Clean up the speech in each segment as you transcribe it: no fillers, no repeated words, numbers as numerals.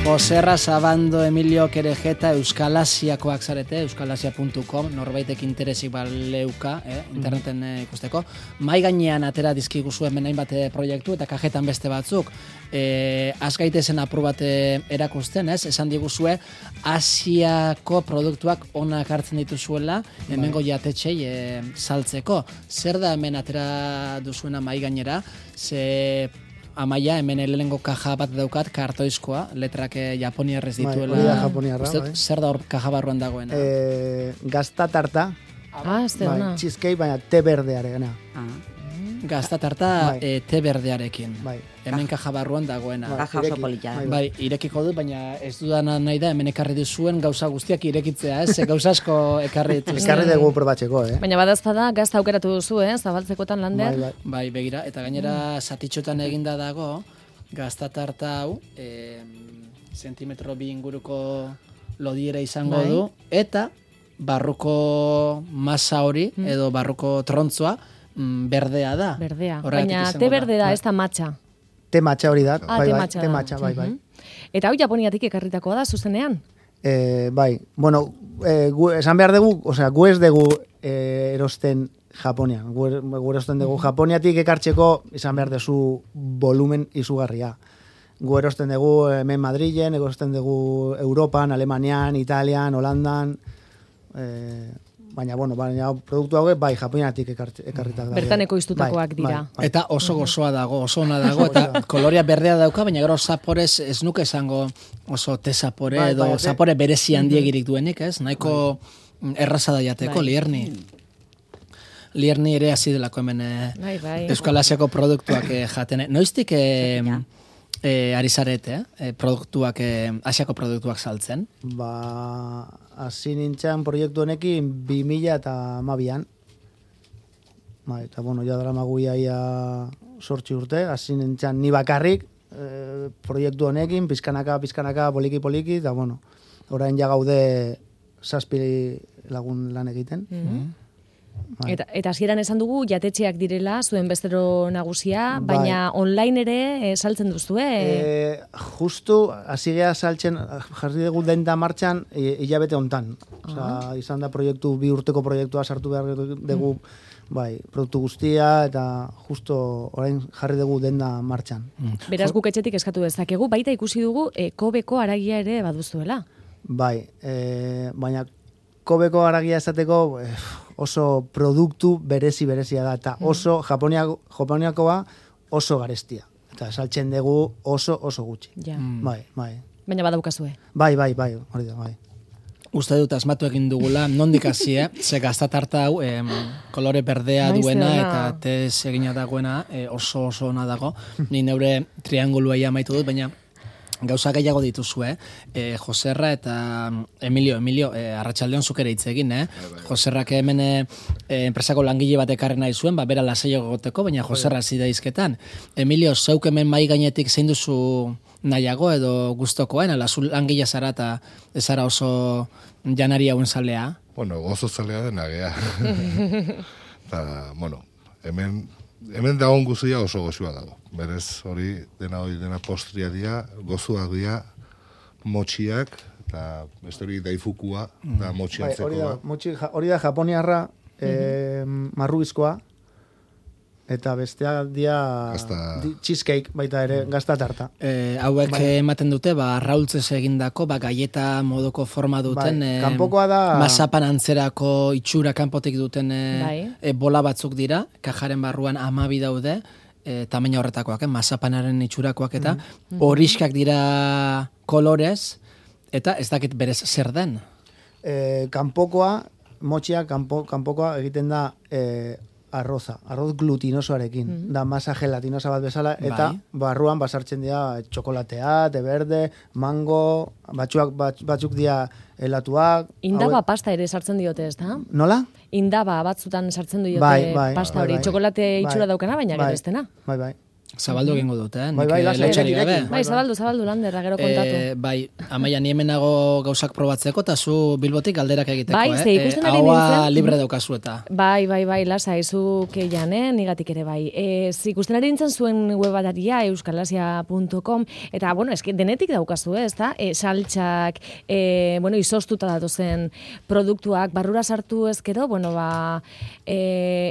Joserra, Sabando, Emilio, Kerejeta, Euskalasiakoak zarete, euskalasia.com, norbaitek interesik baleuka, interneten ikusteko. Mai gainean atera dizkiguzu hemen hainbat proiektu eta kajetan beste batzuk. Azgaitezen apur bat erakusten, esan diguzue, Asiako produktuak onak hartzen dituzuela, hemengo jatetxei saltzeko. Zer da hemen atera duzuena mai gainera, ze Amaia, hemen lehenengo kaja bat daukat, kartoizkoa, letrak japoniarrez dituela. Hori da japoniarra. Zer da hor kaja barruan dagoena? Gazta tarta. Ez da ona. Cheesecake, baina te berdeareena. Gazta tarta te berdearekin. Hemen kaja barruan dagoena. Kaja oso polita. Bai, irekiko dut, baina ez dudana nahi da, hemen ekarri duzuen gauza guztiak irekitzea, gauza asko ekarri dituzte. Ekarri dugu probatzeko, Baina badazpada gazta aukeratu duzu, zabaltzekotan lander. Bai, begira, eta gainera zatitxotan eginda dago, gazta tarta hau, zentimetro 2 inguruko lodiera izango du, eta barruko masa hori, edo barruko trontzoa, berdea da. Berdea, baina te berde da, ez da matxa. Te matxa hori da. Te matxa, bai. Eta hau Japoniatik ekarritakoa da, zuzenean? Bai, bueno, esan behar dugu, osea, gu ez dugu erosten Japonian. Gu erosten dugu Japoniatik ekartzeko, izan behar duzu volumen izugarria. Gu erosten dugu hemen Madrilen, erosten dugu Europan, Alemanian, Italian, Holandan, baina produktu hauek bai Japoniatik ekarritak da. Bertaneko iztutakoak dira. Eta oso gozoa dago, oso ona dago, eta kolorea berdea dauka, baina gero zaporez ez nuke esango oso te zapore edo zapore berezi handiegirik duenik, ez? Nahiko erraza da jateko, lierni. Lierni ere hasi delako hemen Euskalasiako produktuak jaten. Noiztik ari zarete, produktuak, Asiako produktuak saltzen? Hasi nintzen proiektu honekin 2012an. Eta ja dara maguia 8 urte, hasi nintzen ni bakarrik proiektu honekin, pizkanaka, poliki, eta orain ja gaude 7 lagun lan egiten. Eta hasieran esan dugu jatetxeak direla, zuen bestero nagusia, baina online ere saltzen duzu, Justu, hasi geha saltzen, jarri dugu denda martxan, hilabete hontan. Izan da proiektu, 2 urteko proiektua sartu behar dugu, produktu guztia, eta justo orain jarri dugu denda martxan. Beraz guk etxetik eskatu dezakegu, baita ikusi dugu, Kobeko haragia ere baduzuela. Bai, baina Kobeko haragia esateko oso produktu berezia da, eta oso Japoniakoa oso garestia. Eta saltzen dugu oso gutxi. Bai. Baina badaukazue. Bai, hori da, bai. Uste dut asmatu egin dugula, nondik hasi, ze gazta tarta hau, kolore berdea duena eta tez egina dagoena oso ona dago. Ni neure triangulua amaitu dut, baina gauza gehiago dituzue, Joserra eta Emilio, arratsaldeon zuk ere hitz egin, Joserrak hemen enpresako langile bat ekarri nahi zuen, bera lasaiago egoteko, baina Joserra hasi da hizketan. Emilio, zeuk hemen mai gainetik zein duzu nahiago edo gustokoen, ala zu langile zara eta ez zara oso janari hauen zalea? Gozo zalea dena gea. Eta, hemen dagoen guztia oso gozua dago. Berez hori dena postria dira, gozuak dira, motxiak, eta beste hori daifukua, da motxiantzekoa. Hori da japoniarra, marrubizkoa, eta besteak dira cheesecake baita ere, gazta tarta. Hauek ematen dute, arraultzez egindako, gaieta modoko forma duten, kanpokoa da mazapan antzerako itxura kanpotik duten bola batzuk dira, kajaren barruan 12 daude, tamaina horretakoak, mazapanaren itxurakoak eta horiskak dira kolorez, eta ez dakit berez zer den? Kanpokoa, motxia, kanpokoa egiten da arroz glutinosoarekin, da masa gelatinosa bat bezala, eta barruan basartzen dira txokolatea, te berde, mango, batzuk dira helatuak. Indaba pasta ere sartzen diote, ez da? Nola? Indaba batzutan sartzen diote pasta hori, txokolate itxura daukana, baina gero ez dena. Bai. Zabaldu egingo dut, Bai, lasai, lotxarik gabe. direkin. Bai, zabaldu, Lander, gero kontatu. Bai, Amaia, ni hemenago gauzak probatzeko, eta zu Bilbotik galderak egiteko, Bai, ze ikusten ari Haua nintzen. libre daukazu eta. Bai, lasai, zuk eian, nigatik ere bai. Ikusten ari nintzen zuen webataria, euskalasia.com, eta, bueno, eski denetik daukazu, ez da? Saltxak, izostuta datozen produktuak, barrura sartu ezkero,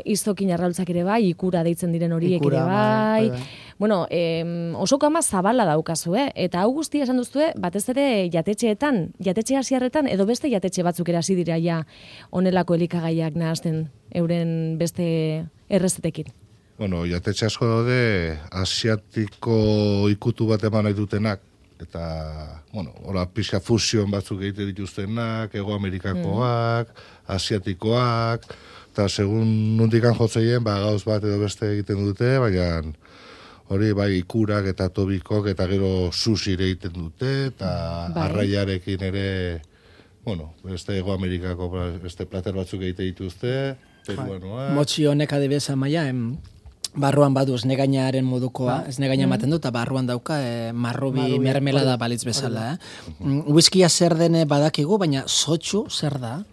izokin arraultzak ere bai, ikura deitzen diren horiek ere bai. Bueno, oso kama zabala daukazu, eta hau guztia esan duzue, batez ere jatetxe hasierretan, edo beste jatetxe batzuk erasi dira ja onelako elikagaiak nahazten euren beste errezetekin. Bueno, jatetxe asko daude asiatiko ikutu bat eman nahi dutenak, eta, hola, pixka fusion batzuk egite dituztenak, Hego Amerikakoak, asiatikoak, eta segun nundikan jotzeien, gauz bat edo beste egiten dute, baina hori bai ikurak eta tobikok eta gero susire egiten dute, eta arraiarekin ere, beste Hego Amerikako beste plater batzuk egite dituzte, peruanoak. Motxi honek adibidez Amaia, barruan badu esnegainaren modukoa, esnegaina ematen du, eta barruan dauka marrubi mermelada balitz bezala. Whiskia zer dene badakigu, baina sotxu zer da?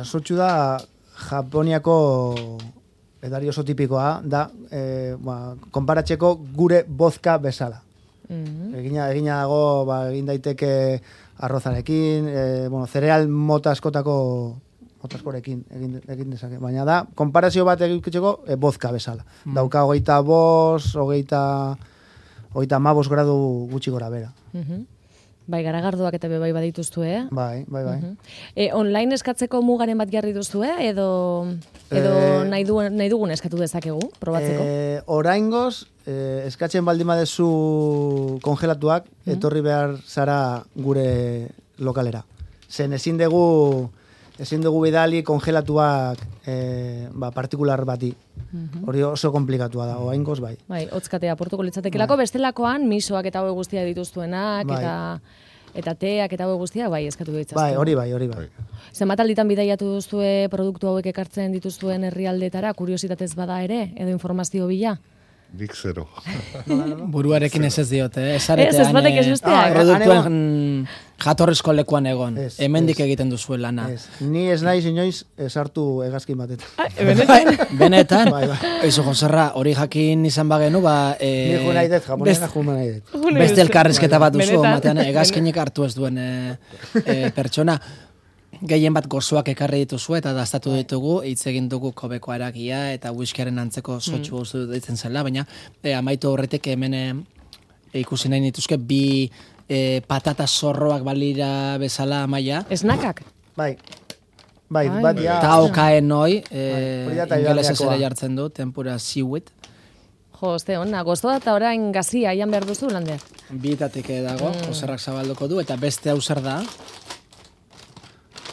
Sotxu da Japoniako edari oso tipikoa, da konparatzeko gure vodka bezala. Egina dago, egin daiteke arrozarekin, zereal mota askorekin egin dezake. Baina da, konparazio bat egitzeko vodka bezala. Dauka 25 gradu gutxi gora bera. Bai, garagardoak eta bai badituztu, Bai. Online eskatzeko mugaren bat jarri duzue, edo nahi dugun eskatu dezakegu, probatzeko? Oraingoz, eskatzen baldin badezu kongelatuak, etorri behar zara gure lokalera. Zen ezin dugu bidali kongelatuak partikular bati. Hori oso komplikatua da, oraingoz bai. Bai, hotzkatea portuko litzatekelako, bestelakoan misoak eta hau guztia dituztuenak, eta teak eta hau guztia, bai, eskatu ditzaztu. Bai, hori bai. Zenbat alditan bidaiatu duzue produktu hauek ekartzen dituztuen herrialdetara, kuriositatez bada ere, edo informazio bila? Nik zero. Buruarekin ez diote, Ez batek ez besteak. Produktuen jatorrizko lekuan egon. Hemendik egiten duzu lana. Ni ez naiz inoiz sartu hegazkin batetan. Benetan? Eizu, Joserra, hori jakin izan bagenu, Ni jo nahi dut, Japoniana jo nahi dut. Beste elkarrizketa bat duzu, matean, hegazkinik hartu ez duen pertsona. Gehien bat gozoak ekarri dituzu eta daztatu ditugu, hitz egin dugu kobeko aragia eta whiskiaren antzeko sotxu guztu ditzen zela, baina amaitu horretik hemen ikusi nahi nituzke bi patata zorroak balira bezala Amaia. Esnakak? Bai, bat ja. Eta okaen hoi, ingelesez ere jartzen du, tempura seaweed. Jo, ona, gozoa eta orain gazia, ian behar duzu, Lander? Bietatik dago, Joserrak zabalduko du, eta beste hau zer da?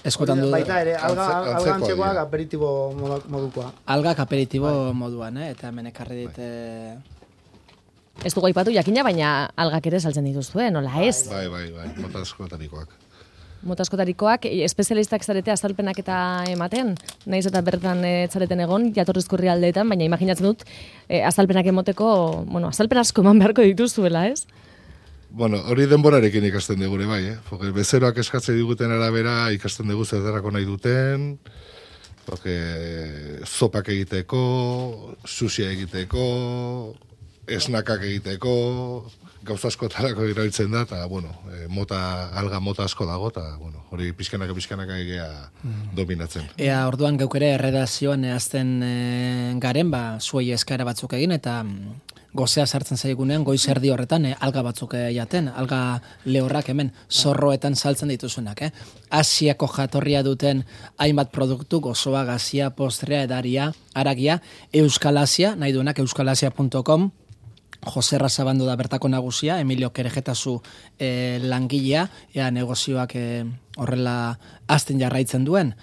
Eskotan du. Baita ere, alga antzekoak aperitibo modukoa. Algak aperitibo moduan, eta hemen ekarri dit... Ez dugu aipatu jakina, baina algak ere saltzen dituzue, nola ez? Bai, mota askotarikoak. Mota askotarikoak, espezialistak zarete azalpenak eta ematen, nahiz eta bertan zareten egon, jatorrizko herrialdeetan, baina imaginatzen dut, azalpenak emoteko, azalpen asko eman beharko dituzuela, ez? Hori denborarekin ikasten dugu, bai, bezeroak eskatzen diguten arabera ikasten dugu zertarako nahi duten, zopak egiteko, sushia egiteko, esnakak egiteko, gauza askotarako irabiltzen da, eta, alga mota asko dago, eta, hori pixkanaka egea dominatzen. Orduan geukere erredazioan azten garen, zuei eskara batzuk egin, eta gozea sartzen zaigunean, goiz erdi horretan, alga batzuk jaten, alga lehorrak hemen, zorroetan saltzen dituzunak. Asiako jatorria duten hainbat produktu, gozoa, gazia, postrea, edaria, aragia, Euskal Asia, nahi duenak euskalasia.com, Joserra zabandu da bertako nagusia, Emilio Kerejetazu langilea, negozioak horrela azten jarraitzen duen.